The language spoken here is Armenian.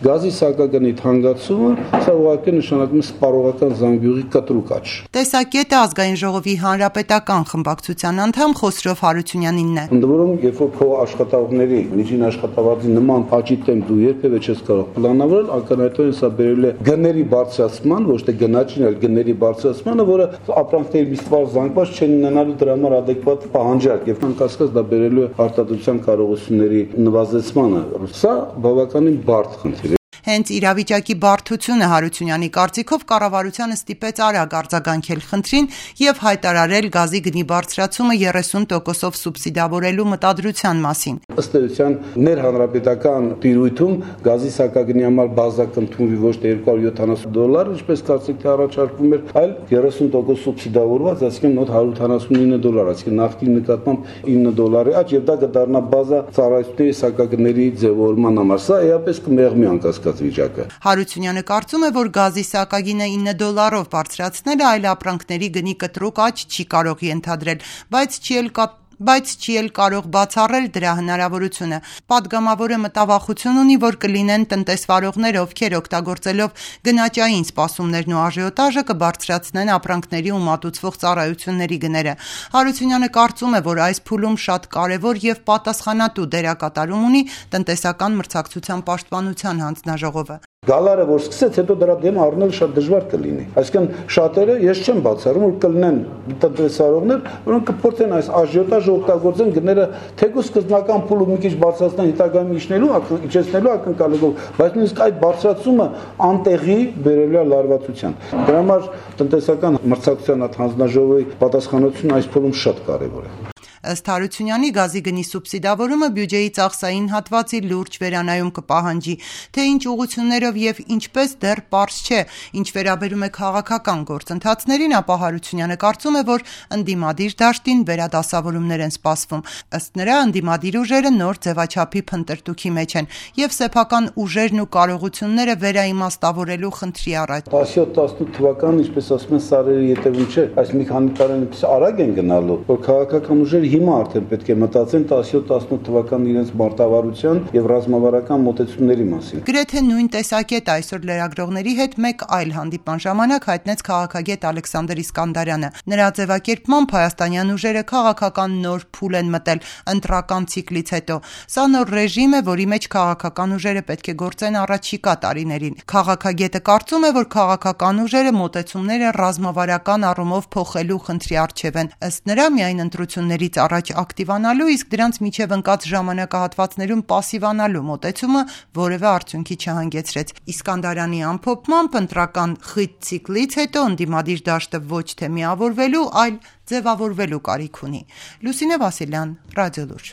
Գազի սակագնի թանկացումը սա ուղղակի նշանակում է սպառողական զանգյուղի կտրուկ աճ։ Տեսակետը Ազգային ժողովի հանրապետական խմբակցության անդամ Խոսրով Հարությունյանինն է։ Ընդ որում, երբ որ քո աշխատողների միջին աշխատավարձի նման աճի տեմպ դու երբևէ չես կարող պլանավորել, ակնհայտորեն սա բերել է գների բարձրացման, ոչ թե գնաճին, այլ գների բարձրացմանը, որը ապրանքների միսվար զանգված չեն ունենալու դրա համար adekvat պահանջարկ եւ անկասկած դա բերելու է արտադրության կարողությունների նվազեցմանը։ Սա բավականին բարդ խնդիր է։ Հենց իրավիճակի բարդությունը Հարությունյանի կարծիքով կառավարությանը ստիպեց արագ արձագանքել խնդրին եւ հայտարարել գազի գնի բարձրացումը 30%-ով սուբսիդավորելու մտադրության մասին։ Ըստ էության ներհանրապետական տիրույթում գազի սակագնի համար բազա կընդունվի ոչ թե $270, ինչպես կարծիք թե առաջարկվում էր, այլ 30% սուբսիդավորված, այսինքն մոտ $179, այսինքն նավթի նկատմամբ $9 աճ եւ դա կդառնա բազա ծառայությունների սակագների ձևավորման համար։ Սա էապես կմեղմի անկասկած վիճակը։ Հարությունյանը կարծում է, որ գազի սակագինը $9-ով բարձրացնելը այլ ապրանքների գնի կտրուկ աճ չի կարող ենթադրել, բայց չի էլ կարող բացառել դրա հնարավորությունը։ Պատգամավորը մտավախություն ունի, որ կլինեն տնտեսվարողներ, ովքեր օգտագործելով գնաճային սպասումներն ու աժիոտաժը կբարձրացնեն ապրանքների ու մատուցվող ծառայությունների գները։ Հարությունյանը կարծում է, որ այս փուլում շատ կարևոր եւ պատասխանատու դերակատարում ունի տնտեսական մրցակցության պաշտպանության հանձնաժողովը։ Գալարը որ սկսեց, հետո դրա դեմ առնելը շատ դժվար կլինի։ Այսինքն շատերը ես չեմ բացառում, որ կլինեն տնտեսվարողներ, որոնք կփորձեն այս աժիոտաժը օգտագործեն գները թեկուզ սկզբնական փուլը մի քիչ բարձրացնեն հետագայում իջեցնելու ակնկալելով, բայց նույնիսկ այդ բարձրացումը անտեղի բերելու է լարվածության։ Դրա համար տնտեսական մրցակցության հանձնաժողովի պատասխանատվությունը այս փուլում շատ կարևոր է։ Ըստ Հարությունյանի գազի գնի սուբսիդավորումը բյուջեի ծախսային հատվածի լուրջ վերանայում կպահանջի, թե ինչ ուղղություններով եւ ինչպես դեռ պարզ չէ։ Ինչ վերաբերում է քաղաքական գործընթացներին, ապա Հարությունյանը կարծում է, որ ընդդիմադիր դաշտին վերադասավորումներ են սպասվում։ Ըստ նրա, ընդդիմադիր ուժերը նոր ձևաչափի փնտրտուքի մեջ են եւ սեփական ուժերն ու կարողությունները վերաիմաստավորելու խնդրի առաջ։ 17-18 թվականն, ինչպես ասում են, սարերի ետևում չէ, այս մի քանի տարին այնպես արագ են գնալու, որ քաղաքական ուժերը հիմա արդեն պետք է մտածեն 17-18 թվականին իրենց մարտավարության եւ ռազմավարական մոտեցումների մասին։ Գրեթե նույն տեսակետ այսօր լրագրողների հետ մեկ այլ հանդիպման ժամանակ հայտնեց քաղաքագետ Ալեքսանդր Իսկանդարյանը։ Նրա ձևակերպմամբ հայաստանյան ուժերը քաղաքական նոր փուլ են մտել ընտրական ցիկլից հետո։ Սա նոր ռեժիմ է, որի մեջ քաղաքական ուժերը պետք է գործեն առաջիկա տարիներին։ Քաղաքագետը կարծում է, որ քաղաքական ուժերը մոտեցումները ռազմավարական առումով փոխելու խնդրի առջև են։ Ըստ նրա, միայն ընտրություններից առաջ ակտիվանալու, իսկ դրանց միջև ընկած ժամանակահատվածներում պասիվանալու մոտեցումը որևէ արդյունքի չհանգեցրեց։ Իսկանդարյանի ամփոփմամբ ընտրական խիտ ցիկլից հետո ընդդիմադիր դաշտը ոչ թե միավորվելու, այլ ձևավորվելու կարիք ունի։ Լուսինե Վասիլյան, Ռադիոլուր։